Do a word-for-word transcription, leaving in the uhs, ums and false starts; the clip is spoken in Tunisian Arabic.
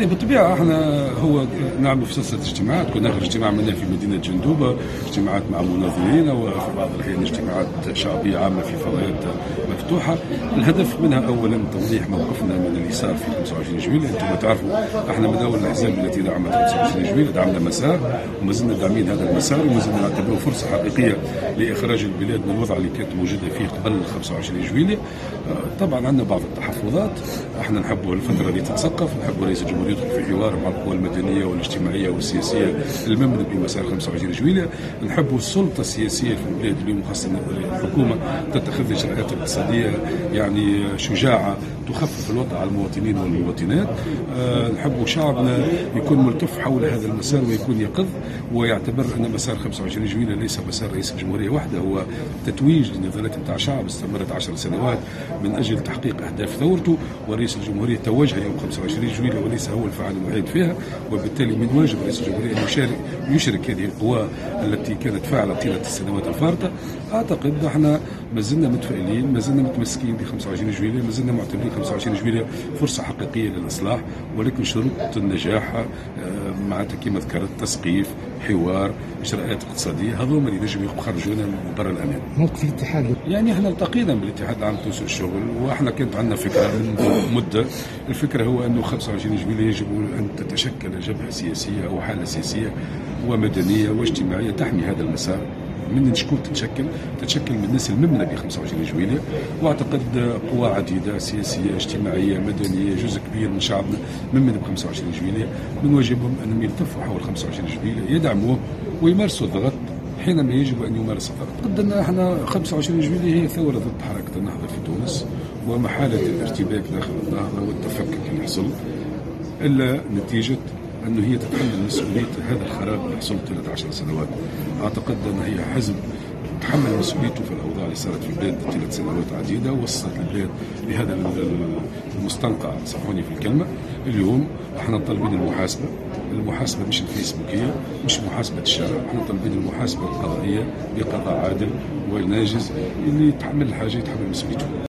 يعني بالطبيعة احنا هو نعمل في سلسلة اجتماعات، كنا اخر اجتماع عملناه في مدينة جندوبه، اجتماعات مع مناضلين وفي بعض الاحيان اجتماعات شعبية عامة في فضاءات مفتوحة. الهدف منها اولا توضيح موقفنا من اللي صار في خمسة وعشرين جويلية. انتم تعرفوا احنا من اول الاحزاب التي دعمت خمسة وعشرين جويلية، دعمنا مسار وما زلنا داعمين هذا المسار، وما زلنا نعتبره فرصة حقيقية لاخراج البلاد من الوضع اللي كانت موجودة فيه قبل خمسة وعشرين جويلية. طبعا عندنا بعض التحفظات، احنا نحبوا الفترة اللي تتسقف، نحبوا رئيس الجمهورية يدخل في حوار مع القوى المدنية والاجتماعية والسياسية الممنه بمسار خمسة وعشرين جويلية، نحبوا السلطة السياسية في البلاد اليوم خاصة الحكومة تتخذ اجراءات اقتصادية يعني شجاعة تخفف الوضع على المواطنين والمواطنات. أه نحبوا شعبنا يكون ملتف حول هذا المسار ويكون يقظ ويعتبر ان مسار خمسة وعشرين جويلية ليس مسار رئيس الجمهورية وحده، هو تتويج لنضالات نتاع شعب استمرت عشر سنوات من اجل تحقيق اهداف ثورته، ورئيس الجمهورية توجه يوم خمسة وعشرين جويلية وليس هو الفاعل الوحيد فيها، وبالتالي من واجب رئيس الجمهورية ان يشارك يشرك هذه القوى التي كانت فاعله طيلة السنوات الفارطه. اعتقد احنا ما زلنا متفائلين، ما زلنا متمسكين ب خمسة وعشرين جويلية، ما زلنا معتبرين خمسة وعشرين جويلية فرصة حقيقية للاصلاح، ولكن شروط النجاح معناتها كما ذكرت تسقيف، حوار، اجراءات اقتصادية، هذوما اللي نجم يخرجونا من بر الامان. موقف الاتحاد، يعني احنا التقينا بالاتحاد العام التونسي للشغل، واحنا كانت عندنا فكرة من مده، الفكرة هو انه خمسة وعشرين جويلية يجب ان تتشكل جبهة سياسية او حاله سياسية ومدنيه واجتماعية تحمي هذا المسار. من شكون تتشكل؟ تتشكل من الناس الممنه ب خمسة وعشرين جويلية، واعتقد قوى عديدة سياسية اجتماعية مدنية جزء كبير من شعبنا ممن ب خمسة وعشرين جويلية، من واجبهم انهم يلتفوا حول خمسة وعشرين جويلية، يدعموه ويمارسوا الضغط حينما يجب ان يمارس الضغط. قد احنا خمسة وعشرين جويلية هي ثورة ضد حركة النهضة في تونس ومحاله الارتباك داخل النهضة والتفكك اللي حصل، الا نتيجة أنه هي تتحمل مسؤولية هذا الخراب اللي حصل طيلة عشر سنوات. أعتقد أن هي حزب تحمل مسؤوليته في الأوضاع اللي صارت في البلاد طيلة سنوات عديدة، وصلت البلاد لهذا المستنقع، سامحوني في الكلمة. اليوم احنا طالبين المحاسبة، المحاسبة مش الفيسبوكية، مش محاسبة الشارع، احنا طالبين المحاسبة القضائية بقضاء عادل وناجز، اللي يتحمل الحاجة يتحمل مسؤوليته.